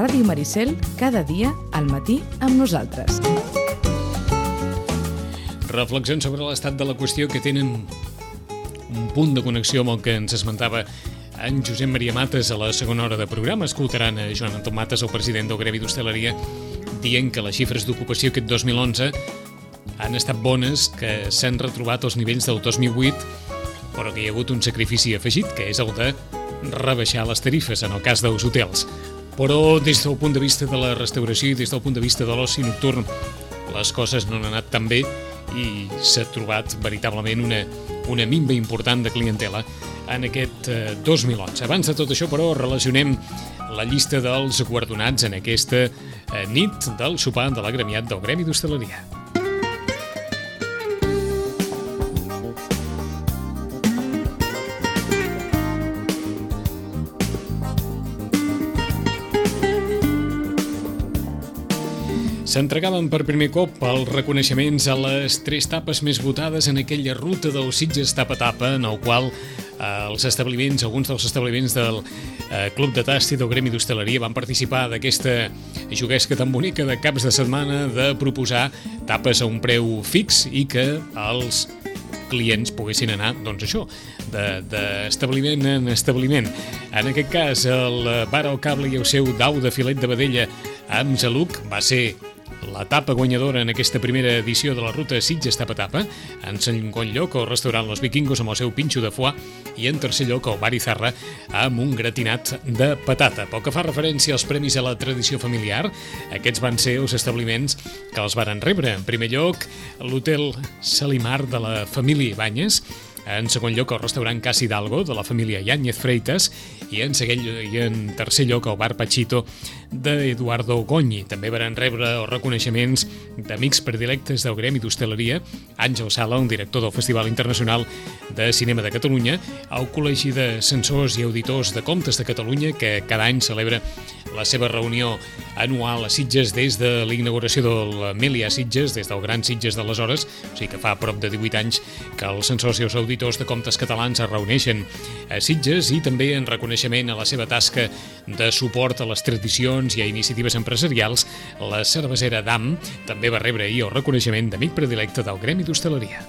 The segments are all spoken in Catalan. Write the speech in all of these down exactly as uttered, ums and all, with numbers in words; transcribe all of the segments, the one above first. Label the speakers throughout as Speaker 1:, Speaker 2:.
Speaker 1: Ràdio Maricel, cada dia al matí amb nosaltres.
Speaker 2: Reflexions sobre l'estat de la qüestió que tenen un punt de connexió amb el que ens esmentava en Josep Maria Mates a la segona hora de programa. Escoltaran a Joan Anton Mates, el president del Gremi d'Hostaleria, dient que les xifres d'ocupació aquest dos mil onze han estat bones, que s'han retrobat els nivells del dos mil vuit, però que hi ha hagut un sacrifici afegit, que és el de rebaixar les tarifes en el cas dels hotels. Però des del punt de vista de la restauració i des del punt de vista de l'oci nocturn, les coses no han anat tan bé i s'ha trobat veritablement una, una minva important de clientela en aquest eh, dos mil onze. Abans de tot això, però, relacionem la llista dels guardonats en aquesta eh, nit del sopar de l'agremiat del Gremi d'Hostaleria. S'entregaven per primer cop els reconeixements a les tres tapes més votades en aquella ruta del Sitges tapa tapa, en el qual eh, els establiments, alguns dels establiments del eh, Club de Tast i del Gremi d'Hostaleria van participar d'aquesta juguesca tan bonica de caps de setmana de proposar tapes a un preu fix i que els clients poguessin anar, doncs això, d'establiment en establiment. En aquest cas, el Bar al Cable i el seu dau de filet de vedella amb Zaluc va ser la tapa guanyadora en aquesta primera edició de la ruta Sitges tapa tapa. En segon lloc, el restaurant Los Vikingos amb el seu pinxo de foie i en tercer lloc, el Bar Izarra amb un gratinat de patata. Pel que fa referència als premis a la tradició familiar, aquests van ser els establiments que els varen rebre. En primer lloc, l'Hotel Salimar de la família Ibáñez. En segon lloc, el restaurant Casa Hidalgo de la família Yáñez Freitas i en, seguell, i en tercer lloc, el bar Pachito d'Eduardo Goñi. També varen rebre els reconeixements d'amics predilectes del Gremi d'Hostaleria, Àngel Sala, un director del Festival Internacional de Cinema de Catalunya, al Col·legi de Censors i Auditors de Comptes de Catalunya, que cada any celebra la seva reunió anual a Sitges des de la inauguració del Melià Sitges, des del Gran Sitges d'aleshores, o sigui que fa prop de divuit anys que els censors i els auditors de comptes catalans es reuneixen a Sitges, i també en reconeixement a la seva tasca de suport a les tradicions i a iniciatives empresarials, la cervesera Dam també va rebre ahir el reconeixement d'amic predilecte del Gremi d'Hostaleria.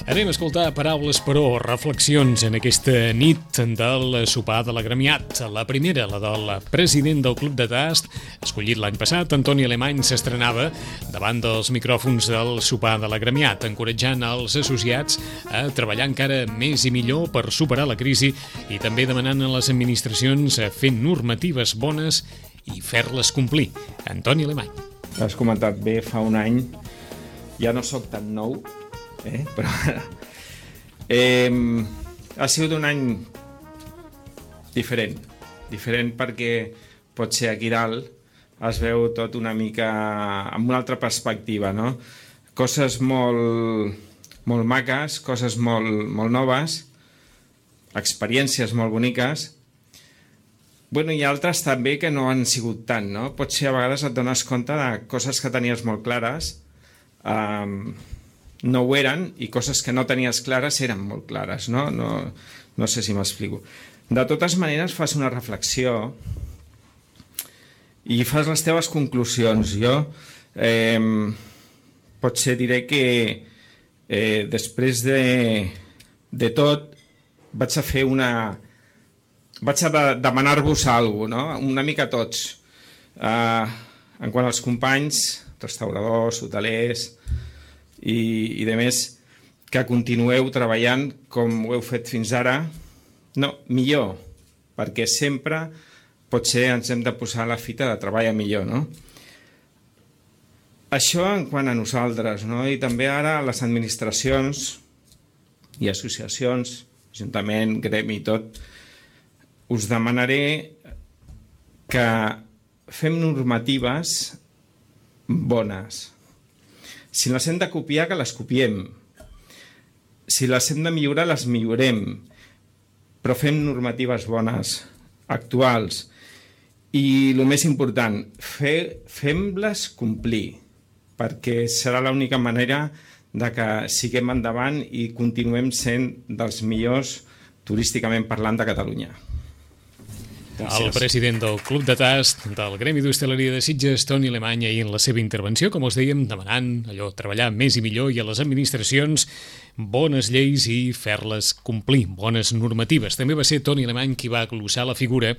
Speaker 2: Anem a escoltar paraules, però, reflexions en aquesta nit del sopar de l'agremiat. La primera, la del president del Club de Tast, escollit l'any passat, Antoni Alemany, s'estrenava davant dels micròfons del sopar de l'agremiat, encoratjant els associats a treballar encara més i millor per superar la crisi i també demanant a les administracions a fer normatives bones i fer-les complir. Antoni Alemany.
Speaker 3: Has comentat bé, fa un any, ja no sóc tan nou, Eh, però eh, ha sigut un any diferent diferent perquè potser aquí dalt es veu tot una mica amb una altra perspectiva, no? Coses molt, molt maques, coses molt, molt noves, experiències molt boniques, bueno, i altres també que no han sigut tant, no? Potser a vegades et dones compte de coses que tenies molt clares, eh, no ho eren, i coses que no tenies clares eren molt clares, no? No, no sé si m'explico. De totes maneres, fas una reflexió i fas les teves conclusions. Jo eh, potser diré que eh, després de, de tot vaig a fer una... vaig a de, demanar-vos alguna cosa, no? Una mica a tots. Eh, en quant als companys, restauradors, hotelers i, i de més, que continueu treballant com ho heu fet fins ara, no, millor, perquè sempre potser ens hem de posar la fita de treballar millor, no? Això en quant a nosaltres, no? I també ara les administracions i associacions, Ajuntament, Gremi i tot, us demanaré que fem normatives bones. Si les hem de copiar, que les copiem. Si les hem de millorar, les millorem. Però fem normatives bones, actuals. I el més important, fer, fem-les complir, perquè serà l'única manera de que siguem endavant i continuem sent dels millors turísticament parlant de Catalunya. Gràcies.
Speaker 2: El president del Club de Tast del Gremi d'Hostaleria de Sitges, Toni Alemany, ahir en la seva intervenció, com us dèiem, demanant allò, treballar més i millor i a les administracions bones lleis i fer-les complir, bones normatives. També va ser Toni Alemany qui va glossar la figura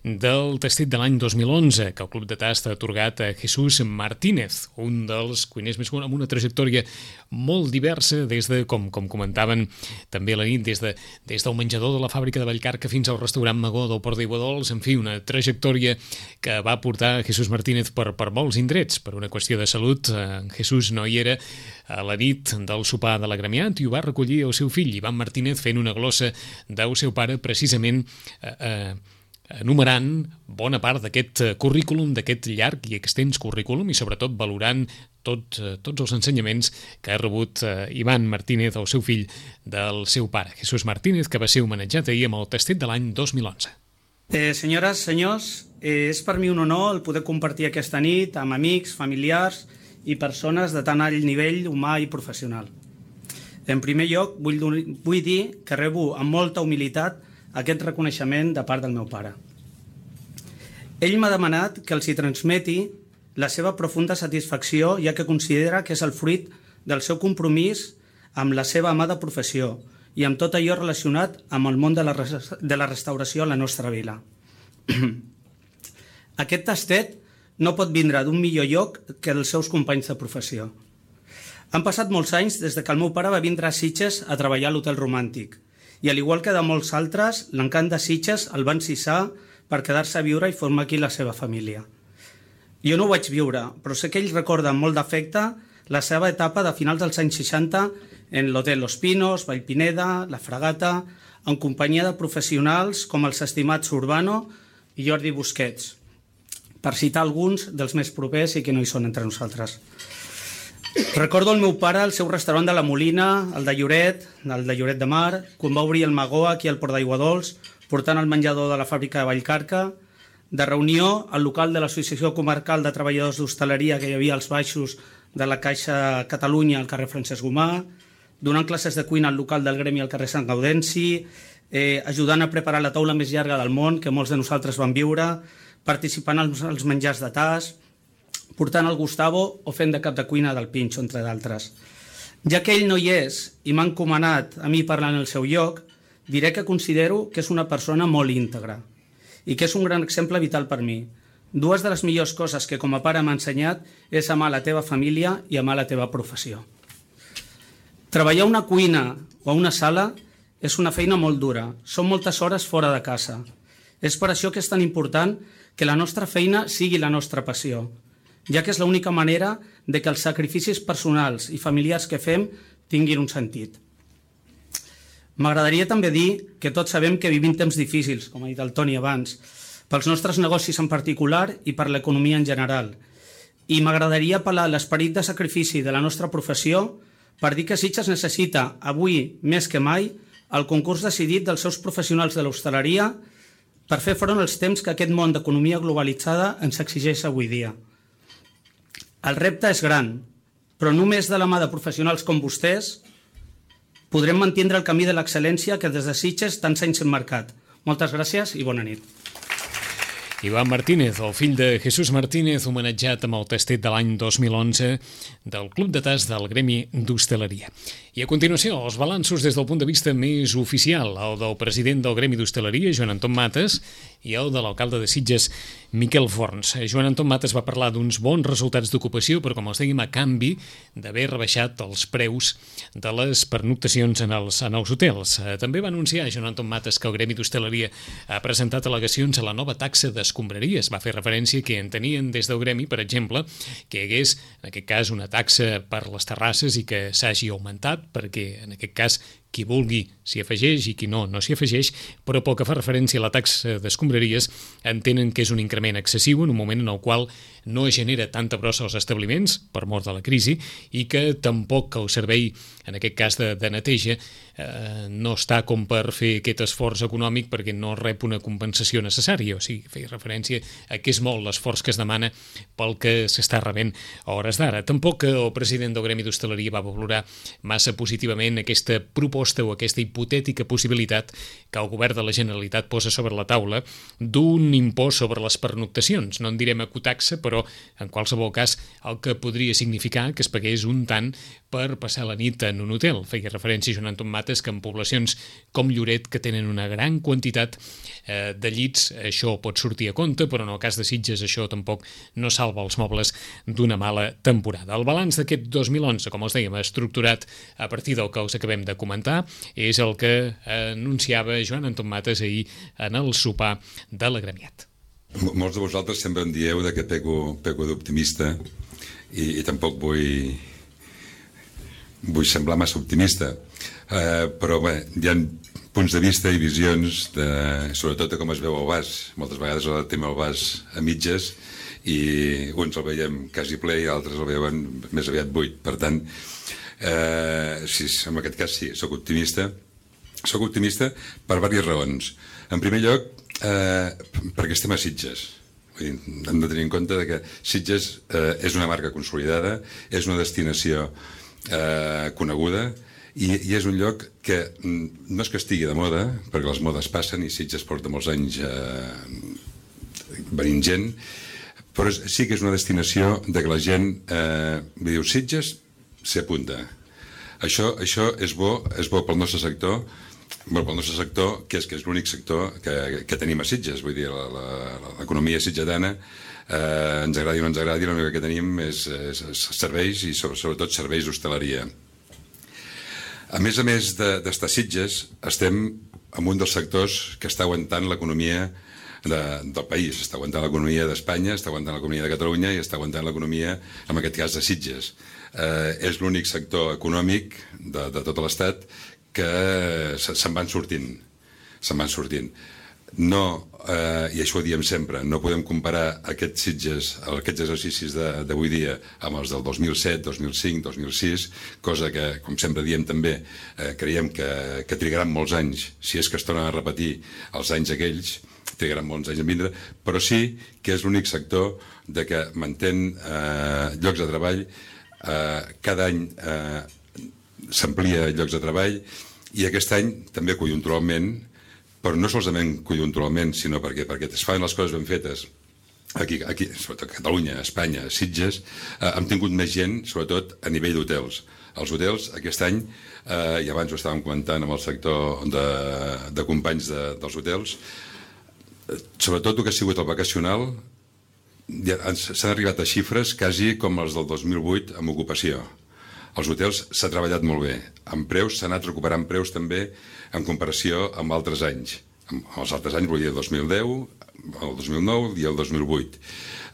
Speaker 2: del tastet de l'any dos mil onze, que el Club de Tast ha atorgat a Jesús Martínez, un dels cuiners més amb una trajectòria molt diversa, des de, com, com comentaven també a la nit, des, de, des del menjador de la fàbrica de Vallcarca fins al restaurant Magó del Port d'Aiguadols, en fi, una trajectòria que va portar Jesús Martínez per, per molts indrets. Per una qüestió de salut, en Jesús no hi era a la nit del sopar de l'agremiat i ho va recollir el seu fill, Ivan Martínez, fent una glossa del seu pare, precisament eh, eh, enumerant bona part d'aquest currículum, d'aquest llarg i extens currículum, i sobretot valorant tot, tots els ensenyaments que ha rebut eh, Ivan Martínez, el seu fill, del seu pare, Jesús Martínez, que va ser homenatjat ahir amb el tastet de l'any dos mil onze.
Speaker 4: Eh, senyores, senyors, eh, és per mi un honor el poder compartir aquesta nit amb amics, familiars i persones de tan alt nivell humà i professional. En primer lloc, vull, vull dir que rebo amb molta humilitat aquest reconeixement de part del meu pare. Ell m'ha demanat que els hi transmeti la seva profunda satisfacció, ja que considera que és el fruit del seu compromís amb la seva amada professió i amb tot allò relacionat amb el món de la, de la restauració a la nostra vila. Aquest tastet no pot vindre d'un millor lloc que dels seus companys de professió. Han passat molts anys des que el meu pare va vindre a Sitges a treballar a l'Hotel Romàntic, i al igual que de molts altres, l'encant de Sitges el va encisar per quedar-se a viure i formar aquí la seva família. Jo no ho vaig viure, però sé que ell recorda amb molt d'afecte la seva etapa de finals dels anys seixanta en l'Hotel Los Pinos, Vallpineda, La Fragata, en companyia de professionals com els estimats Urbano i Jordi Busquets, per citar alguns dels més propers i que no hi són entre nosaltres. Recordo el meu pare al seu restaurant de la Molina, el de Lloret, el de Lloret de Mar, quan va obrir el Magó aquí al Port d'Aiguadols, portant el menjador de la fàbrica de Vallcarca, de reunió al local de l'Associació Comarcal de Treballadors d'Hostaleria que hi havia als baixos de la Caixa Catalunya al carrer Francesc Gomà, donant classes de cuina al local del Gremi al carrer Sant Gaudenci, eh, ajudant a preparar la taula més llarga del món que molts de nosaltres vam viure, participant als, als menjars de tas, portant el Gustavo o fent de cap de cuina del Pinxo, entre d'altres. Ja que ell no hi és i m'ha encomanat a mi parlar en el seu lloc, diré que considero que és una persona molt íntegra i que és un gran exemple vital per mi. Dues de les millors coses que com a pare m'ha ensenyat és amar la teva família i amar la teva professió. Treballar a una cuina o a una sala és una feina molt dura, són moltes hores fora de casa. És per això que és tan important que la nostra feina sigui la nostra passió, ja que és l'única manera de que els sacrificis personals i familiars que fem tinguin un sentit. M'agradaria també dir que tots sabem que vivim temps difícils, com ha dit el Toni abans, pels nostres negocis en particular i per l'economia en general. I m'agradaria apel·lar a l'esperit de sacrifici de la nostra professió per dir que Sitges necessita, avui més que mai, el concurs decidit dels seus professionals de l'hostaleria per fer front als temps que aquest món d'economia globalitzada ens exigeix avui dia. El repte és gran, però només de la mà de professionals com vostès podrem mantindre el camí de l'excel·lència que des de Sitges tants anys hem marcat. Moltes gràcies i bona nit.
Speaker 2: Ivan Martínez, el fill de Jesús Martínez, homenatjat amb el tastet de l'any dos mil onze del Club de Tast del Gremi d'Hostaleria. I a continuació, els balanços des del punt de vista més oficial, el del president del Gremi d'Hostaleria, Joan Anton Mates, i el de l'alcalde de Sitges, Miquel Forns. Joan Anton Mates va parlar d'uns bons resultats d'ocupació, però com els dèiem, a canvi d'haver rebaixat els preus de les pernoctacions en els, en els hotels. També va anunciar Joan Anton Mates que el Gremi d'Hostaleria ha presentat al·legacions a la nova taxa d'escombraries. Va fer referència que entenien des del Gremi, per exemple, que hi hagués, en aquest cas, una taxa per les terrasses i que s'hagi augmentat, perquè en aquest cas qui vulgui s'hi afegeix i qui no, no s'hi afegeix, però pel que fa referència a la taxa d'escombraries entenen que és un increment excessiu en un moment en el qual no genera tanta brossa als establiments per mort de la crisi i que tampoc el servei, en aquest cas de, de neteja, eh, no està com per fer aquest esforç econòmic perquè no rep una compensació necessària, o sigui, feia referència a que és molt l'esforç que es demana pel que s'està rebent a hores d'ara. Tampoc el president del Gremi d'Hostaleria va valorar massa positivament aquesta proposta o aquesta hipotètica possibilitat que el govern de la Generalitat posa sobre la taula d'un impost sobre les pernoctacions. No en direm ecotaxa, però en qualsevol cas el que podria significar que es pagués un tant per passar la nit en un hotel. Feia referència Joan Anton Mates que en poblacions com Lloret, que tenen una gran quantitat eh, de llits, això pot sortir a compte, però en el cas de Sitges això tampoc no salva els mobles d'una mala temporada. El balanç d'aquest dos mil onze, com els dèiem, estructurat a partir del que us acabem de comentar, és el que anunciava Joan Anton Mates ahir en el sopar de l'agremiat.
Speaker 5: Molts de vosaltres sempre em dieu que peco, peco d'optimista i, i tampoc vull, vull semblar massa optimista, uh, però bé, hi ha punts de vista i visions, de, sobretot de com es veu el vas. Moltes vegades el tema el vas a mitges i uns el veiem quasi ple i altres el veuen més aviat buit. Per tant, eh, sí, en aquest cas sí, soc optimista. Soc optimista per diverses raons. En primer lloc, eh, perquè estem a Sitges. Vull dir, hem de tenir en compte que Sitges eh, és una marca consolidada, és una destinació eh, coneguda i, i és un lloc que no és que estigui de moda, perquè les modes passen i Sitges porta molts anys eh, venint gent, però sí que és una destinació de que la gent eh, diu Sitges s'hi apunta. Això, això és bo, és bo pel nostre sector, bueno, pel nostre sector, que és que és l'únic sector que, que tenim a Sitges, vull dir, l'economia sitgetana, eh, ens agradi o no ens agradi, l'únic que tenim és, és, és serveis i sobretot serveis d'hostaleria. A més a més d'estar a Sitges, estem en un dels sectors que està aguantant l'economia de, del país, està aguantant l'economia d'Espanya, està aguantant l'economia de Catalunya i està aguantant l'economia, en aquest cas, de Sitges. Eh, és l'únic sector econòmic de, de tot l'Estat que se'n van sortint, se'n van sortint. No, eh, i això ho diem sempre, no podem comparar aquests Sitges, aquests exercicis d'avui dia amb els del dos mil set, dos mil cinc, dos mil sis, cosa que, com sempre diem també, eh, creiem que, que trigaran molts anys, si és que es tornen a repetir els anys aquells, trigaran molts anys en vindre, però sí que és l'únic sector de que mantén eh, llocs de treball, eh, cada any eh, s'amplia llocs de treball i aquest any també conjunturalment, però no solament conjunturalment, sinó perquè, perquè es fan les coses ben fetes aquí, aquí sobretot a Catalunya, a Espanya, a Sitges, eh, hem tingut més gent, sobretot a nivell d'hotels. Els hotels aquest any, eh, i abans ho estàvem comentant amb el sector de, de companys de, dels hotels, eh, sobretot el que ha sigut el vacacional, ja, s'han arribat a xifres quasi com els del dos mil vuit amb ocupació. Els hotels s'ha treballat molt bé. En preus s'ha anat recuperant preus també en comparació amb altres anys. Amb els altres anys vull dir el dos mil deu, el dos mil nou i el dos mil vuit.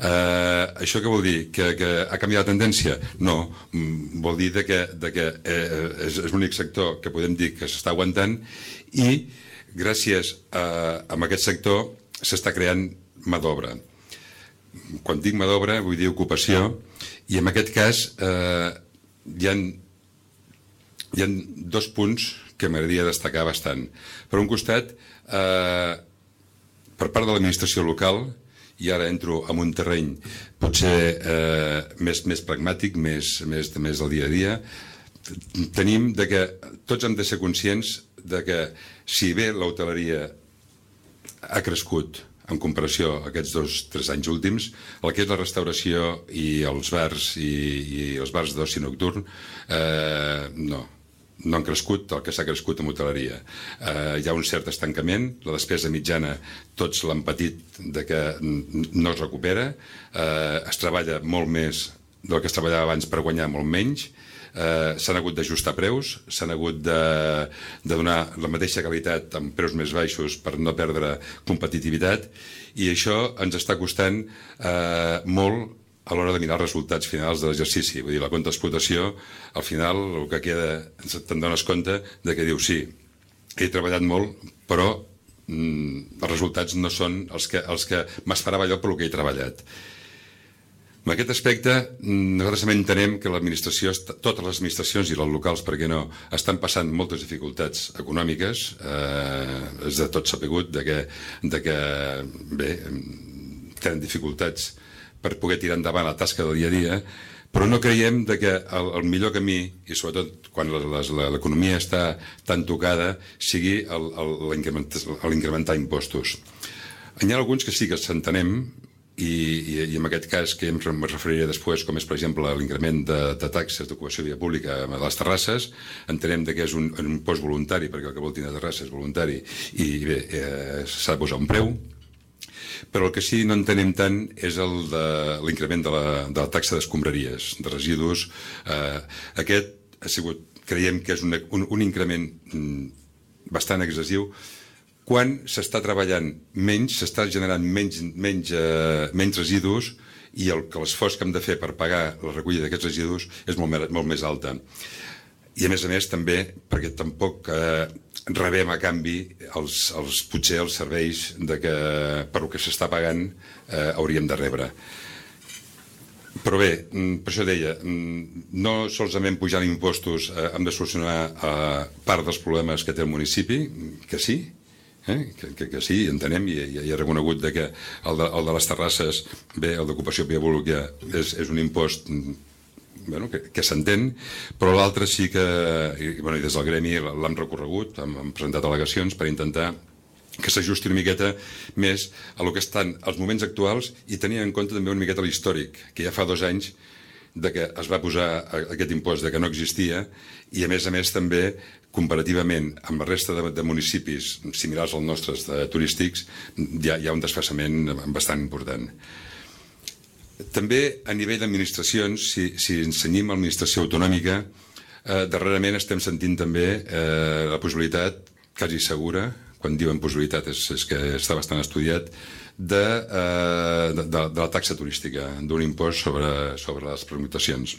Speaker 5: Eh, això què vol dir? Que, que ha canviat la tendència? No. Vol dir de que, de que eh, és, és l'únic sector que podem dir que s'està aguantant i gràcies a, a aquest sector s'està creant mà d'obra. Quan dic mà d'obra vull dir ocupació i en aquest cas eh, Hi ha, hi ha dos punts que m'agradaria destacar bastant. Per un costat, eh, per part de l'administració local, i ara entro en un terreny potser eh, més, més pragmàtic, més, més, més del dia a dia, tenim de que tots hem de ser conscients de que si bé l'hoteleria ha crescut en comparació a aquests dos o tres anys últims, el que és la restauració i els bars i, i els bars d'oci nocturn eh, no, no han crescut el que s'ha crescut en hoteleria. Eh, hi ha un cert estancament, la despesa mitjana tots l'han patit de que no es recupera, eh, es treballa molt més del que es treballava abans per guanyar molt menys, eh, s'han hagut d'ajustar preus, s'han hagut de, de donar la mateixa qualitat amb preus més baixos per no perdre competitivitat, i això ens està costant eh, molt a l'hora de mirar els resultats finals de l'exercici. Vull dir, la compte d'explotació, al final, el que queda, te'n dones compte de que diu, sí, he treballat molt, però mm, els resultats no són els que, els que m'esperava allò pel que he treballat. En aquest aspecte, nosaltres també entenem que l'administració, totes les administracions i les locals, per què no, estan passant moltes dificultats econòmiques, eh, és de tot sapigut de que, de que bé, tenen dificultats per poder tirar endavant la tasca del dia a dia, però no creiem de que el, el millor camí, i sobretot quan l'economia està tan tocada, sigui l'incrementar impostos. Hi ha alguns que sí que s'entenem, i, i, i en aquest cas que em referiré després, com és per exemple l'increment de, de taxes d'ocupació de via pública a les terrasses, entenem que és un, un impost voluntari, perquè el que vol tenir la terrassa és voluntari, i bé, eh, s'ha de posar un preu. Però el que sí no entenem tant és l'increment de, de, de la taxa d'escombraries, de residus. Eh, aquest ha sigut, creiem que és un, un, un increment bastant excessiu, quan s'està treballant menys, s'està generant menys, menys, eh, menys residus i el, que l'esforç que hem de fer per pagar la recollida d'aquests residus és molt, molt més alta. I a més a més també perquè tampoc eh, rebem a canvi els, els, potser els serveis de que, per el que s'està pagant eh, hauríem de rebre. Però bé, per això deia, no solament pujant impostos eh, hem de solucionar eh, part dels problemes que té el municipi, que sí, Eh? Que, que, que sí, entenem, i, i he reconegut de que el de, el de les terrasses, bé, el d'ocupació via pública és, és un impost bueno, que, que s'entén, però l'altre sí que, i, bueno, i des del gremi l'hem recorregut, hem, hem presentat al·legacions per intentar que s'ajusti una miqueta més a lo que estan els moments actuals i tenint en compte també una miqueta l'històric, que ja fa dos anys de que es va posar aquest impost de que no existia i a més a més també comparativament amb la resta de, de municipis similars als nostres de, turístics hi ha, hi ha un desfasament bastant important. També a nivell d'administracions, si, si ensenyim a l'administració autonòmica, eh, darrerament estem sentint també eh, la possibilitat, quasi segura, quan diuen possibilitat és, és que està bastant estudiat, de, eh, de, de, de la taxa turística, d'un impost sobre, sobre les pernoctacions.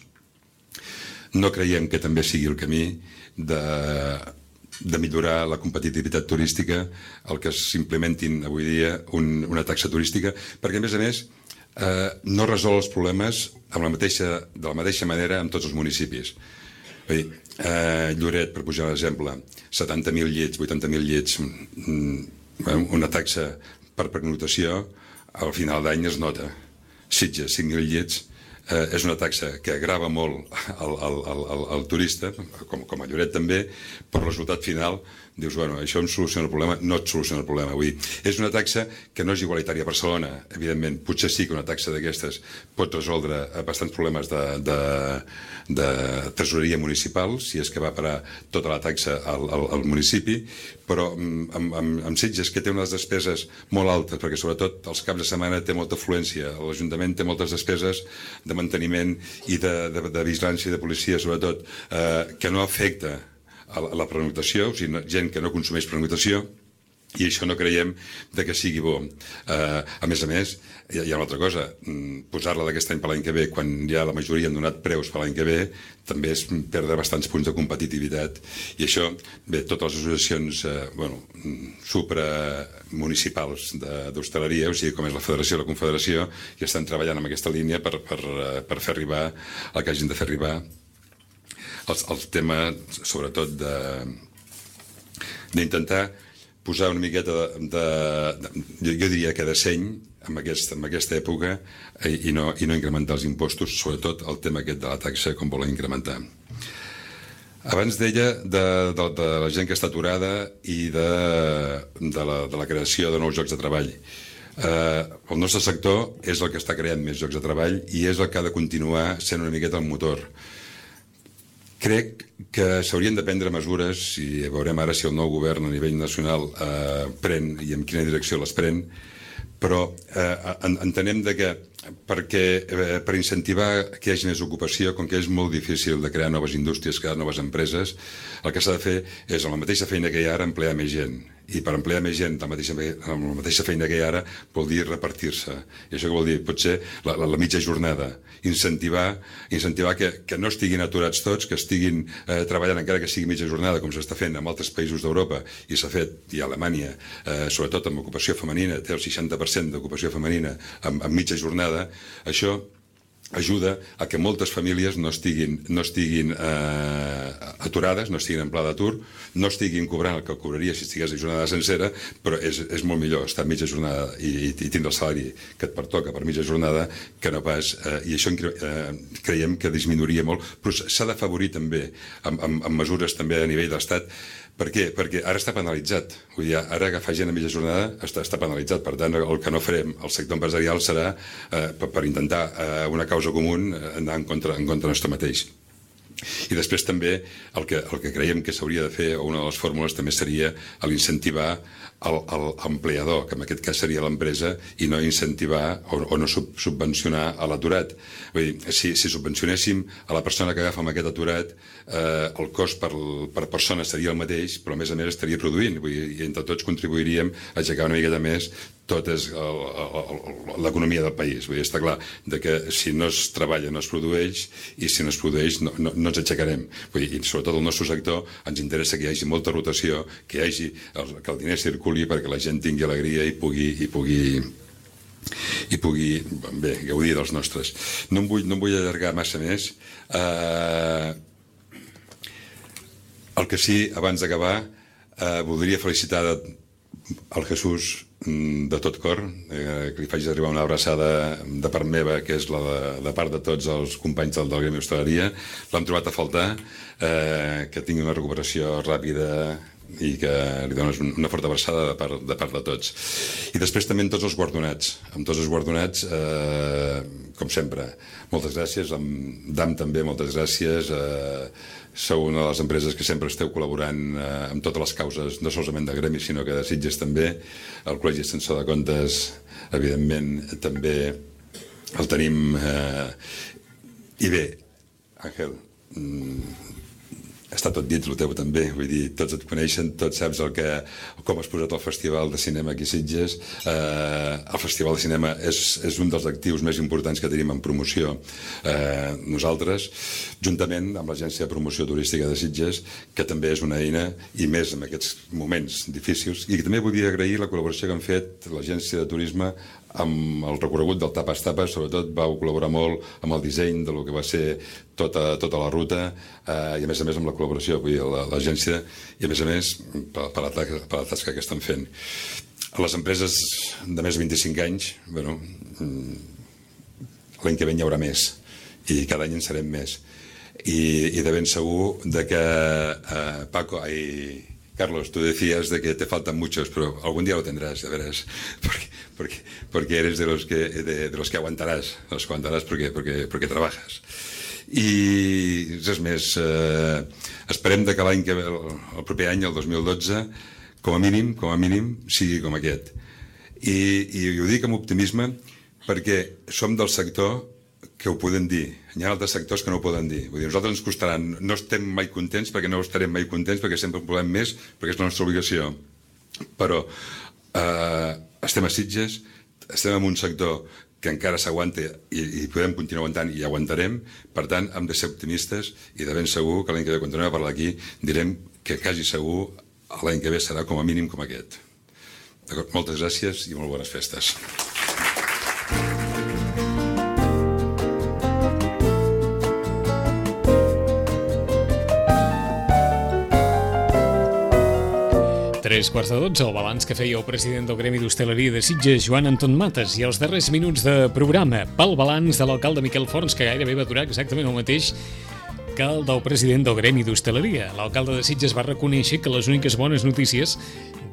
Speaker 5: No creiem que també sigui el camí de, de millorar la competitivitat turística el que s'implementin avui dia un, una taxa turística, perquè a més a més eh, no resol els problemes amb la mateixa, de la mateixa manera en tots els municipis. Vull dir, eh, Lloret, per pujar un exemple, setanta mil llits, vuitanta mil llits, mm, una taxa per pernoctació, al final d'any es nota. Sitges, cinc mil llits, eh, és una taxa que agrava molt al, al, al, al turista, com, com a Lloret també, però el resultat final dius, bueno, això em soluciona el problema, no et soluciona el problema. Vull dir, és una taxa que no és igualitària a Barcelona, evidentment, potser sí que una taxa d'aquestes pot resoldre bastants problemes de, de, de tresoreria municipal, si és que va parar tota la taxa al, al, al municipi, però amb, amb, amb Sitges, que té unes despeses molt altes, perquè sobretot els caps de setmana té molta afluència, l'Ajuntament té moltes despeses de manteniment i de, de, de vigilància i de policia, sobretot, eh, que no afecta a la pernoctació, o sigui, gent que no consumeix pernoctació, i això no creiem de que sigui bo. Eh, a més a més, hi ha una altra cosa, posar-la d'aquest any per l'any que ve, quan ja la majoria han donat preus per l'any que ve, també és perdre bastants punts de competitivitat. I això, bé, totes les associacions eh, bueno, supramunicipals d'hostaleria, o sigui, com és la Federació i la Confederació, ja estan treballant en aquesta línia per, per, per fer arribar el que hagin de fer arribar el, el tema, sobretot, d'intentar posar una miqueta de, de, de jo, jo diria que de seny en, aquest, en aquesta època i, i, no, i no incrementar els impostos, sobretot el tema aquest de la taxa, com volen incrementar. Abans deia de, de, de la gent que està aturada i de, de, la, de la creació de nous llocs de treball. Eh, el nostre sector és el que està creant més llocs de treball i és el que ha de continuar sent una miqueta el motor. Crec que s'haurien de prendre mesures, i veurem ara si el nou govern a nivell nacional eh, pren i en quina direcció les pren, però eh, entenem de que perquè, eh, per incentivar que hi hagi més ocupació, com que és molt difícil de crear noves indústries, crear noves empreses, el que s'ha de fer és, amb la mateixa feina que hi ha ara, emplear més gent. i per emplear més gent amb la mateixa, amb la mateixa feina que hi ha ara vol dir repartir-se. I això què vol dir? Potser la, la, la mitja jornada, incentivar, incentivar que, que no estiguin aturats tots, que estiguin eh, treballant encara que sigui mitja jornada, com s'està fent en altres països d'Europa, i s'ha fet, i a Alemanya, eh, sobretot amb ocupació femenina, té el seixanta per cent d'ocupació femenina amb, amb mitja jornada. Això ajuda a que moltes famílies no estiguin, no estiguin eh, aturades, no estiguin en pla d'atur, no estiguin cobrant el que cobraria si estigués a jornada sencera, però és, és molt millor estar a mitja jornada i, i tindre el salari que et pertoca per mitja jornada que no pas... Eh, I això eh, creiem que disminuiria molt, però s'ha d'afavorir també amb, amb, amb mesures també a nivell d'estat. Per què? Perquè ara està penalitzat. Vull dir, ara agafar gent a mitja jornada està, està penalitzat. Per tant, el que no farem al sector empresarial serà eh, per, per intentar eh, una causa comú anar en contra, en contra nostre mateix. I després també el que, el que creiem que s'hauria de fer, o una de les fórmules també seria l'incentivar l'empleador, que en aquest cas seria l'empresa, i no incentivar o, o no sub, subvencionar a l'aturat. Vull dir, si, si subvencionéssim a la persona que agafa amb aquest aturat, eh, el cost per, per persona seria el mateix, però a més a més estaria produint. Vull dir, i entre tots contribuiríem a aixecar una miqueta més tota l'economia del país. Vull dir, està clar de que si no es treballa no es produeix, i si no es produeix no, no, no ens aixecarem. Vull dir, i sobretot el nostre sector ens interessa que hi hagi molta rotació, que hi hagi el, que el diner circuli perquè la gent tingui alegria i pugui, i pugui, i pugui bé, gaudir dels nostres. No em vull, no em vull allargar massa més. Eh, el que sí, abans d'acabar, eh, voldria felicitar el Jesús de tot cor, eh, que li faig arribar una abraçada de part meva, que és la de, de part de tots els companys del, del Gremi d'Hostaleria. L'hem trobat a faltar, eh, que tingui una recuperació ràpida i que li dones una forta abraçada de part, de part de tots. I després també amb tots els guardonats. Amb tots els guardonats, eh, com sempre, moltes gràcies. Amb D A M també, moltes gràcies. Eh, sou una de les empreses que sempre esteu col·laborant eh, amb totes les causes, no solament de Gremi, sinó que de Sitges també. El Col·legi Extensor de Comptes, evidentment, també el tenim. Eh, I bé, Àngel, mm, està tot dit, el teu també, vull dir, tots et coneixen, tots saps el que, com has posat el Festival de Cinema aquí a Sitges. Eh, el Festival de Cinema és, és un dels actius més importants que tenim en promoció eh, nosaltres, juntament amb l'Agència de Promoció Turística de Sitges, que també és una eina, i més en aquests moments difícils. I també vull agrair la col·laboració que han fet l'Agència de Turisme amb el recorregut del Tapas Tapas. Sobretot vau col·laborar molt amb el disseny del que va ser tota, tota la ruta, eh, i a més a més amb la col·laboració, vull dir, l'agència, i a més a més per, per, la, per la tasca que estan fent. A les empreses de més de vint-i-cinc anys, bueno, l'any que ve hi haurà més, i cada any en serem més. I, i de ben segur de que eh, Paco, ai, Carlos, tú decías de que te faltan muchos, pero algún día lo tendrás, ya verás, porque, porque, porque eres de los que, de, de los que aguantarás, los que aguantarás porque, porque, porque trabajas. I res més, eh, esperem que l'any que ve, el, el proper any, el dos mil dotze, com a mínim, com a mínim, sigui com aquest. I, i ho dic amb optimisme perquè som del sector que ho podem dir. Hi ha altres sectors que no ho poden dir. Vull dir, nosaltres ens costarà, no estem mai contents perquè no estarem mai contents, perquè sempre en volem més, perquè és la nostra obligació. Però eh, estem a Sitges, estem en un sector que encara s'aguanta i, i podem continuar aguantant i aguantarem. Per tant, hem de ser optimistes i de ben segur que l'any que ve, quan tornem a parlar aquí, direm que quasi segur l'any que ve serà com a mínim com aquest. Moltes gràcies i molt bones festes.
Speaker 2: Tres quarts de dotze, el balanç que feia el president del Gremi d'Hostaleria de Sitges, Joan Anton Mates, i els darrers minuts de programa pel balanç de l'alcalde Miquel Forns, que gairebé va durar exactament el mateix que el del president del Gremi d'Hostaleria. L'alcalde de Sitges va reconèixer que les úniques bones notícies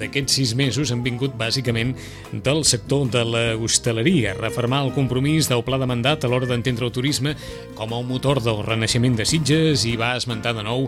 Speaker 2: d'aquests sis mesos han vingut bàsicament del sector de la hostaleria, refermar el compromís del pla de mandat a l'hora d'entendre el turisme com el motor del renaixement de Sitges, i va esmentar de nou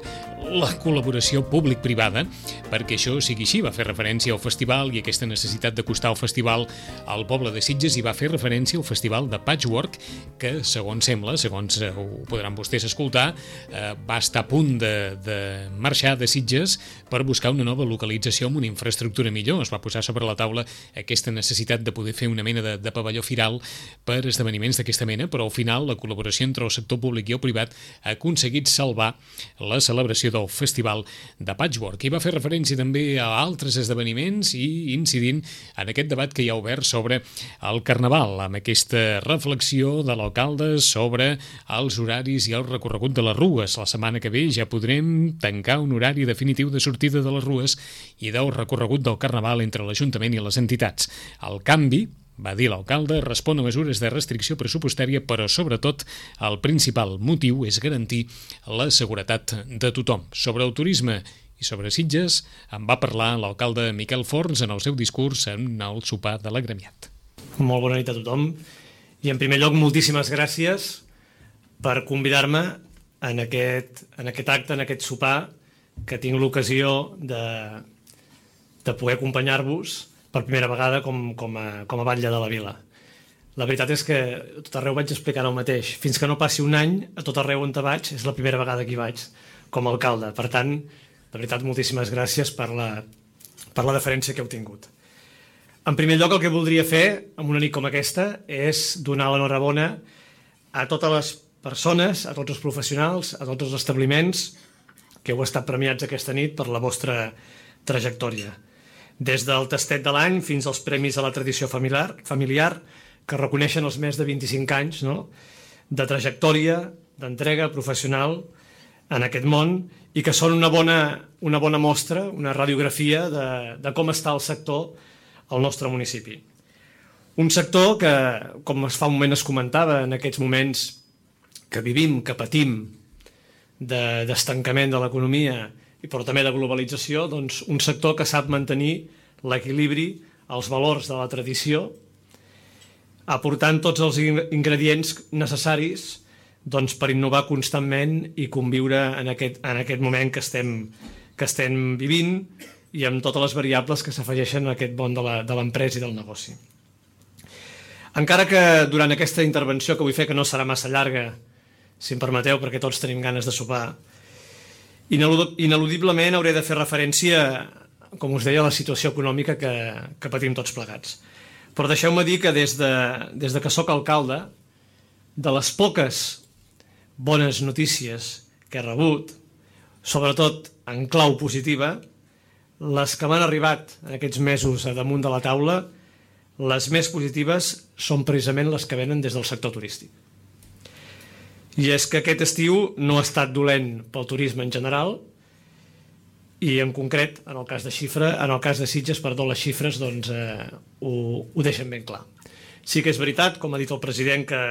Speaker 2: la col·laboració públic-privada perquè això sigui així. Va fer referència al festival i aquesta necessitat d'acostar el festival al poble de Sitges, i va fer referència al festival de Patchwork, que, segons sembla, segons ho podran vostès escoltar, eh, va estar a punt de, de marxar de Sitges per buscar una nova localització amb una infraestructura infraestructura millor. Es va posar sobre la taula aquesta necessitat de poder fer una mena de, de pavelló firal per esdeveniments d'aquesta mena, però al final la col·laboració entre el sector públic i el privat ha aconseguit salvar la celebració del Festival de Patchwork. I va fer referència també a altres esdeveniments i incidint en aquest debat que hi ha obert sobre el Carnaval, amb aquesta reflexió de l'alcalde sobre els horaris i el recorregut de les rues. La setmana que ve ja podrem tancar un horari definitiu de sortida de les rues i del recorregut del Carnaval entre l'Ajuntament i les entitats. El canvi, va dir l'alcalde, respon a mesures de restricció pressupostària, però sobretot el principal motiu és garantir la seguretat de tothom. Sobre el turisme i sobre Sitges en va parlar l'alcalde Miquel Forns en el seu discurs en el sopar de l'agremiat.
Speaker 6: Molt bona nit a tothom i en primer lloc moltíssimes gràcies per convidar-me en aquest, en aquest acte, en aquest sopar que tinc l'ocasió de, de poder acompanyar-vos per primera vegada com, com, a, com a batlle de la vila. La veritat és que a tot arreu vaig explicant el mateix. Fins que no passi un any, a tot arreu on te vaig, és la primera vegada que hi vaig com a alcalde. Per tant, de veritat, moltíssimes gràcies per la, per la deferència que heu tingut. En primer lloc, el que voldria fer, en una nit com aquesta, és donar l'enhorabona a totes les persones, a tots els professionals, a tots els establiments que heu estat premiats aquesta nit per la vostra trajectòria. Des del tastet de l'any fins als premis a la tradició familiar, familiar que reconeixen els més de vint-i-cinc anys, no?, de trajectòria, d'entrega professional en aquest món i que són una bona, una bona mostra, una radiografia de, de com està el sector al nostre municipi. Un sector que, com fa un moment es comentava, en aquests moments que vivim, que patim d'estancament de, de l'economia, però també de globalització, doncs un sector que sap mantenir l'equilibri, els valors de la tradició, aportant tots els ingredients necessaris doncs, per innovar constantment i conviure en aquest, en aquest moment que estem, que estem vivint i amb totes les variables que s'afegeixen a aquest món de l'empresa i del negoci. Encara que durant aquesta intervenció que vull fer, que no serà massa llarga, si em permeteu, perquè tots tenim ganes de sopar, ineludiblement hauré de fer referència, com us deia, a la situació econòmica que, que patim tots plegats. Però deixeu-me dir que des de, des de que sóc alcalde, de les poques bones notícies que he rebut, sobretot en clau positiva, les que m'han arribat en aquests mesos a damunt de la taula, les més positives són precisament les que venen des del sector turístic. I és que aquest estiu no ha estat dolent pel turisme en general i en concret, en el cas de xifra, en el cas de Sitges, perdó, les xifres doncs, eh, ho, ho deixen ben clar. Sí que és veritat, com ha dit el president, que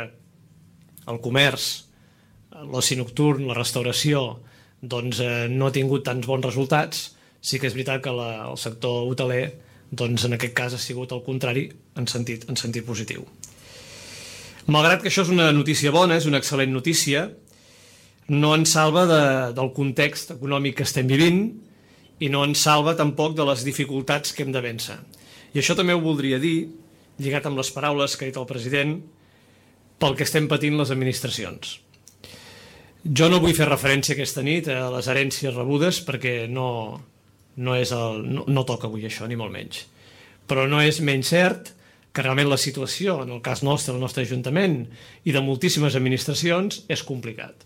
Speaker 6: el comerç, l'oci nocturn, la restauració, doncs, eh, no ha tingut tants bons resultats. Sí que és veritat que la, el sector hoteler, doncs, en aquest cas ha sigut el contrari en sentit, en sentit positiu. Malgrat que això és una notícia bona, és una excel·lent notícia, no ens salva de, del context econòmic que estem vivint i no ens salva tampoc de les dificultats que hem de vèncer. I això també ho voldria dir, lligat amb les paraules que ha dit el president, pel que estem patint les administracions. Jo no vull fer referència aquesta nit a les herències rebudes perquè no, no, és el, no, no toca avui això, ni molt menys. Però no és menys cert que realment la situació, en el cas nostre, el nostre Ajuntament i de moltíssimes administracions, és complicat.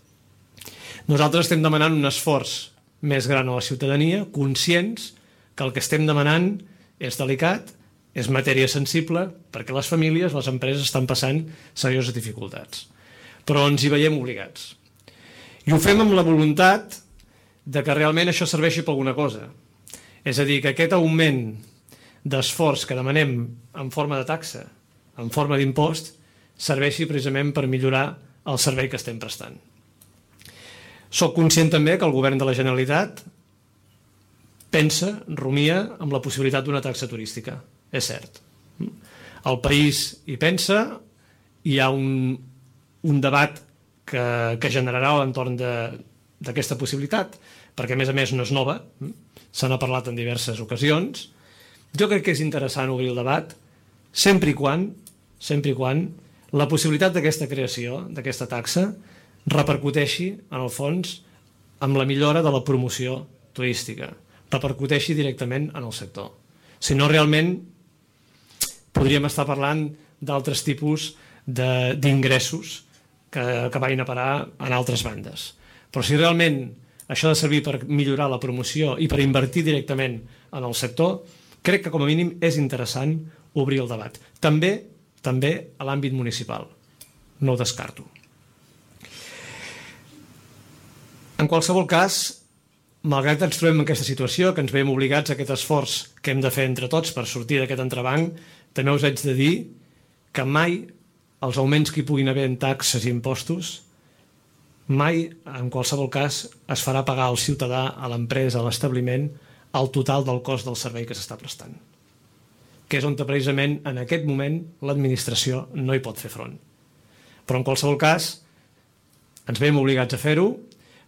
Speaker 6: Nosaltres estem demanant un esforç més gran a la ciutadania, conscients que el que estem demanant és delicat, és matèria sensible, perquè les famílies, les empreses estan passant serioses dificultats. Però ens hi veiem obligats. I ho fem amb la voluntat de que realment això serveixi per alguna cosa. És a dir, que aquest augment d'esforç que demanem en forma de taxa, en forma d'impost, serveixi precisament per millorar el servei que estem prestant. Soc conscient també que el govern de la Generalitat pensa, rumia, amb la possibilitat d'una taxa turística. És cert. El país hi pensa, hi ha un, un debat que, que generarà a l'entorn d'aquesta possibilitat, perquè a més a més no és nova, se n'ha parlat en diverses ocasions. Jo crec que és interessant obrir el debat, sempre i quan, sempre i quan la possibilitat d'aquesta creació, d'aquesta taxa, repercuteixi, en el fons, amb la millora de la promoció turística, repercuteixi directament en el sector. Si no, realment podríem estar parlant d'altres tipus d'ingressos que, que vagin a parar en altres bandes. Però si realment això ha de servir per millorar la promoció i per invertir directament en el sector, crec que com a mínim és interessant obrir el debat. També, també a l'àmbit municipal. No ho descarto. En qualsevol cas, malgrat ens trobem en aquesta situació, que ens veiem obligats a aquest esforç que hem de fer entre tots per sortir d'aquest entrebanc, també us haig de dir que mai els augments que hi puguin haver en taxes i impostos, mai, en qualsevol cas, es farà pagar al ciutadà, a l'empresa, a l'establiment, el total del cost del servei que s'està prestant. Que és on precisament en aquest moment l'administració no hi pot fer front. Però en qualsevol cas, ens veiem obligats a fer-ho,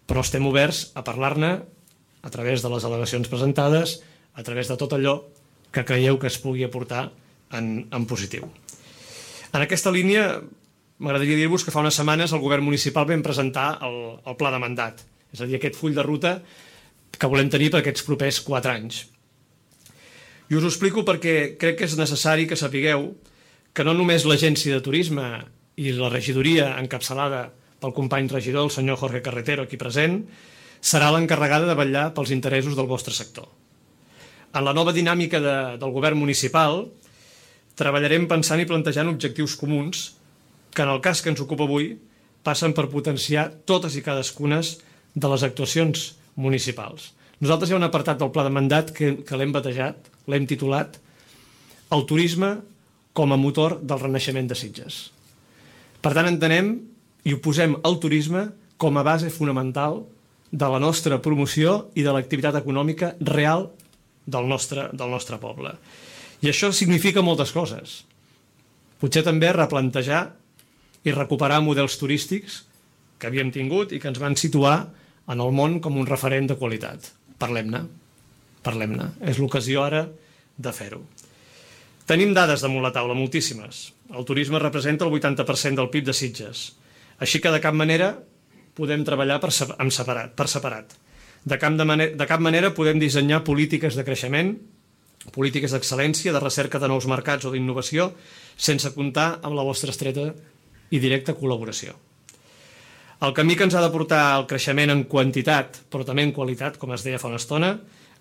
Speaker 6: però estem oberts a parlar-ne a través de les al·legacions presentades, a través de tot allò que creieu que es pugui aportar en, en positiu. En aquesta línia, m'agradaria dir-vos que fa unes setmanes el govern municipal vam presentar el, el pla de mandat, és a dir, aquest full de ruta que volem tenir per aquests propers quatre anys. I us ho explico perquè crec que és necessari que sapigueu que no només l'Agència de Turisme i la regidoria encapçalada pel company regidor, el senyor Jorge Carretero, aquí present, serà l'encarregada de vetllar pels interessos del vostre sector. En la nova dinàmica de, del govern municipal treballarem pensant i plantejant objectius comuns que en el cas que ens ocupa avui passen per potenciar totes i cadascunes de les actuacions municipals. Nosaltres hi ha un apartat del pla de mandat que, que l'hem batejat, l'hem titulat el turisme com a motor del renaixement de Sitges. Per tant, entenem i ho posem el turisme com a base fonamental de la nostra promoció i de l'activitat econòmica real del nostre, del nostre poble. I això significa moltes coses. Potser també replantejar i recuperar models turístics que havíem tingut i que ens van situar en el món com un referent de qualitat. Parlem-ne, parlem-ne. És l'ocasió ara de fer-ho. Tenim dades damunt la taula, moltíssimes. El turisme representa el vuitanta per cent del P I B de Sitges. Així que de cap manera podem treballar per separat. Per separat. De, cap de, manera, de cap manera podem dissenyar polítiques de creixement, polítiques d'excel·lència, de recerca de nous mercats o d'innovació, sense comptar amb la vostra estreta i directa col·laboració. El camí que ens ha de portar al creixement en quantitat, però també en qualitat, com es deia fa una estona,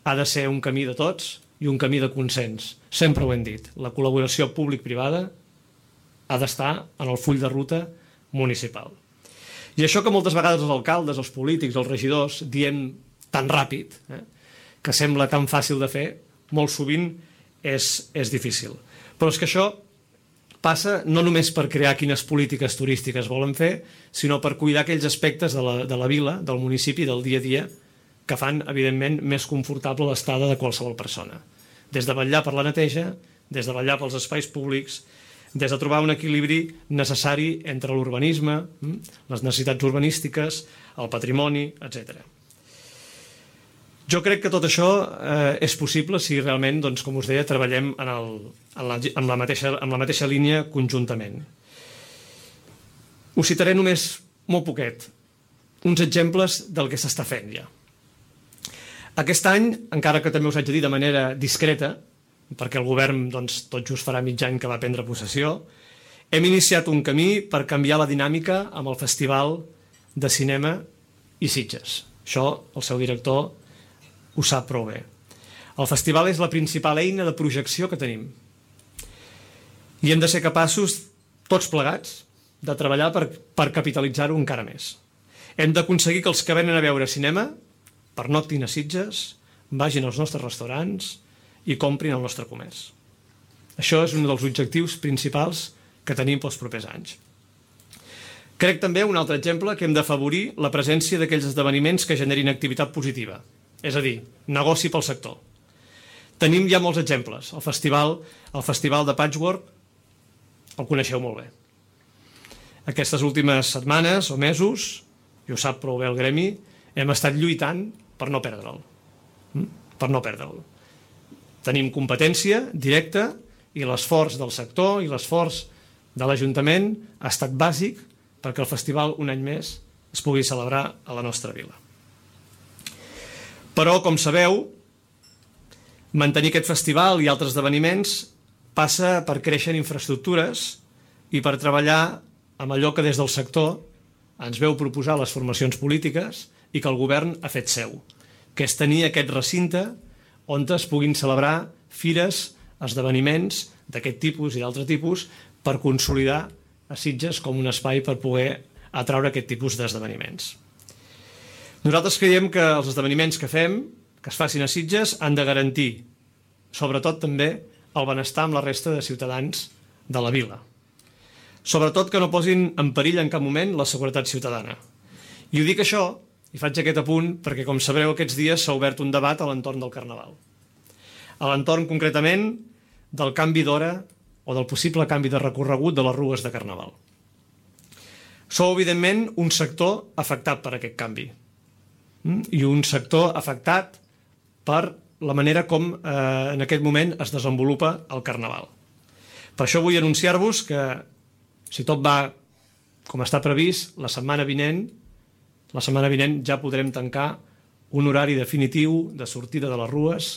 Speaker 6: ha de ser un camí de tots i un camí de consens. Sempre ho hem dit. La col·laboració públic-privada ha d'estar en el full de ruta municipal. I això que moltes vegades els alcaldes, els polítics, els regidors diem tan ràpid, eh, que sembla tan fàcil de fer, molt sovint és, és difícil. Però és que això passa no només per crear quines polítiques turístiques volen fer, sinó per cuidar aquells aspectes de la, de la vila, del municipi, del dia a dia, que fan, evidentment, més confortable l'estada de qualsevol persona. Des de vetllar per la neteja, des de vetllar pels espais públics, des de trobar un equilibri necessari entre l'urbanisme, les necessitats urbanístiques, el patrimoni, etcètera. Jo crec que tot això eh, és possible si realment, doncs, com us deia, treballem en, el, en, la, en, la mateixa, en la mateixa línia conjuntament. Us citaré només molt poquet, uns exemples del que s'està fent ja. Aquest any, encara que també us haig de dir de manera discreta, perquè el govern doncs, tot just farà mig any que va prendre possessió, hem iniciat un camí per canviar la dinàmica amb el Festival de Cinema i Sitges. Això el seu director ho sap prou bé. El festival és la principal eina de projecció que tenim. I hem de ser capaços, tots plegats, de treballar per, per capitalitzar-ho encara més. Hem d'aconseguir que els que venen a veure cinema pernoctin a Sitges, vagin als nostres restaurants i comprin el nostre comerç. Això és un dels objectius principals que tenim pels propers anys. Crec també, un altre exemple, que hem d'afavorir la presència d'aquells esdeveniments que generin activitat positiva, és a dir, negoci pel sector. Tenim ja molts exemples. El festival, el festival de Patchwork el coneixeu molt bé. Aquestes últimes setmanes o mesos, i ho sap prou bé el gremi, hem estat lluitant per no perdre'l. Per no perdre'l. Tenim competència directa i l'esforç del sector i l'esforç de l'Ajuntament ha estat bàsic perquè el festival un any més es pugui celebrar a la nostra vila. Però, com sabeu, Mantenir aquest festival i altres esdeveniments passa per créixer en infraestructures i per treballar amb allò que des del sector ens veu proposar les formacions polítiques i que el govern ha fet seu, que és tenir aquest recinte on es puguin celebrar fires, esdeveniments d'aquest tipus i d'altre tipus per consolidar a Sitges com un espai per poder atraure aquest tipus d'esdeveniments. Nosaltres creiem que els esdeveniments que fem, que es facin a Sitges, han de garantir, sobretot també, el benestar amb la resta de ciutadans de la vila. Sobretot que no posin en perill en cap moment la seguretat ciutadana. I ho dic això, i faig aquest apunt, perquè com sabreu aquests dies s'ha obert un debat a l'entorn del Carnaval. A l'entorn concretament del canvi d'hora o del possible canvi de recorregut de les rues de Carnaval. Sou, evidentment, un sector afectat per aquest canvi. I un sector afectat per la manera com eh, en aquest moment es desenvolupa el Carnaval. Per això vull anunciar-vos que, si tot va com està previst, la setmana vinent, la setmana vinent ja podrem tancar un horari definitiu de sortida de les rues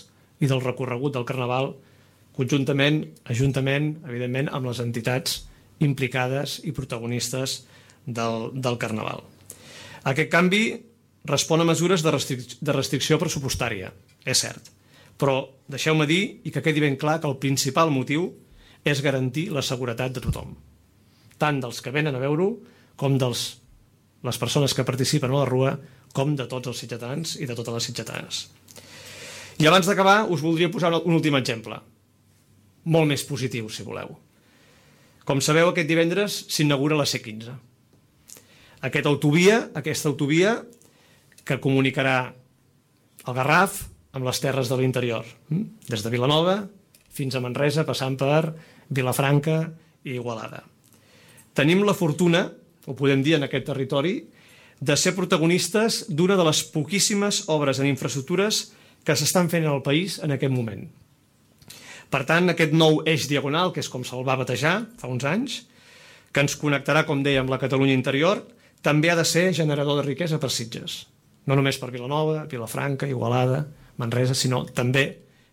Speaker 6: i del recorregut del Carnaval, conjuntament, ajuntament, evidentment, amb les entitats implicades i protagonistes del, del Carnaval. Aquest canvi respon a mesures de, restric de restricció pressupostària, és cert, però deixeu-me dir, i que quedi ben clar, que el principal motiu és garantir la seguretat de tothom, tant dels que venen a veure-ho com de les persones que participen a la rua, com de tots els sitgetans i de totes les sitgetanes. I abans d'acabar us voldria posar un últim exemple, molt més positiu, si voleu. Com sabeu, aquest divendres s'inaugura la C quinze. Aquesta autovia, aquesta autovia que comunicarà el Garraf amb les terres de l'interior, des de Vilanova fins a Manresa, passant per Vilafranca i Igualada. Tenim la fortuna, ho podem dir en aquest territori, de ser protagonistes d'una de les poquíssimes obres en infraestructures que s'estan fent en el país en aquest moment. Per tant, aquest nou eix diagonal, que és com se'l va batejar fa uns anys, que ens connectarà, com deia, amb la Catalunya interior, també ha de ser generador de riquesa per Sitges. No només per Vilanova, Vilafranca, Igualada, Manresa, sinó també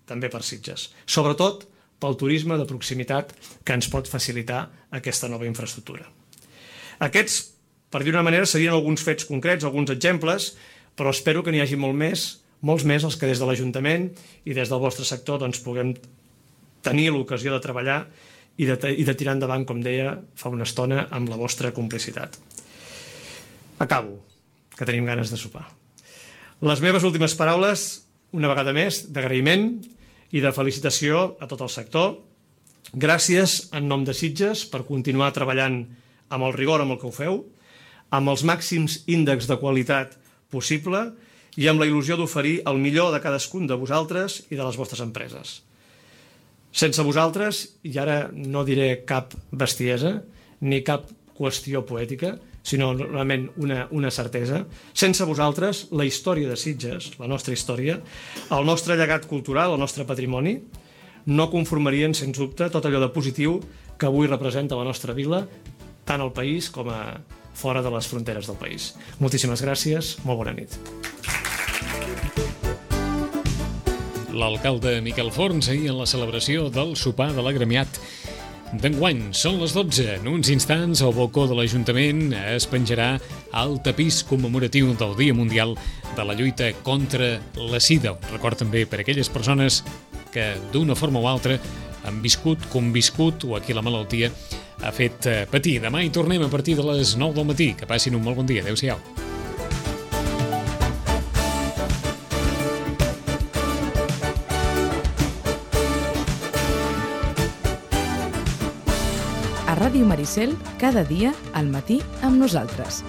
Speaker 6: també per Sitges. Sobretot pel turisme de proximitat que ens pot facilitar aquesta nova infraestructura. Aquests, per dir-ho d'una manera, serien alguns fets concrets, alguns exemples, però espero que n'hi hagi molt més, molts més els que des de l'Ajuntament i des del vostre sector doncs, puguem tenir l'ocasió de treballar i de, i de tirar endavant, com deia fa una estona, amb la vostra complicitat. Acabo, que tenim ganes de sopar. Les meves últimes paraules, una vegada més, d'agraïment i de felicitació a tot el sector. Gràcies en nom de Sitges per continuar treballant amb el rigor amb el que ho feu, amb els màxims índexs de qualitat possible i amb la il·lusió d'oferir el millor de cadascun de vosaltres i de les vostres empreses. Sense vosaltres, i ara no diré cap bestiesa ni cap qüestió poètica, sinó realment una, una certesa, sense vosaltres la història de Sitges, la nostra història, el nostre llegat cultural, el nostre patrimoni, no conformarien, sens dubte, tot allò de positiu que avui representa la nostra vila, tant al país com a fora de les fronteres del país. Moltíssimes gràcies, molt bona nit.
Speaker 2: L'alcalde Miquel Forns ahir en la celebració del sopar de l'agremiat d'enguany. Són les dotze. En uns instants, al balcó de l'Ajuntament es penjarà el tapís commemoratiu del Dia Mundial de la lluita contra la sida. Un record també per a aquelles persones que d'una forma o altra han viscut, conviscut o a qui la malaltia ha fet patir. Demà hi tornem a partir de les nou del matí. Que passin un molt bon dia. Adéu-siau.
Speaker 1: A Ràdio Maricel, cada dia al matí amb nosaltres.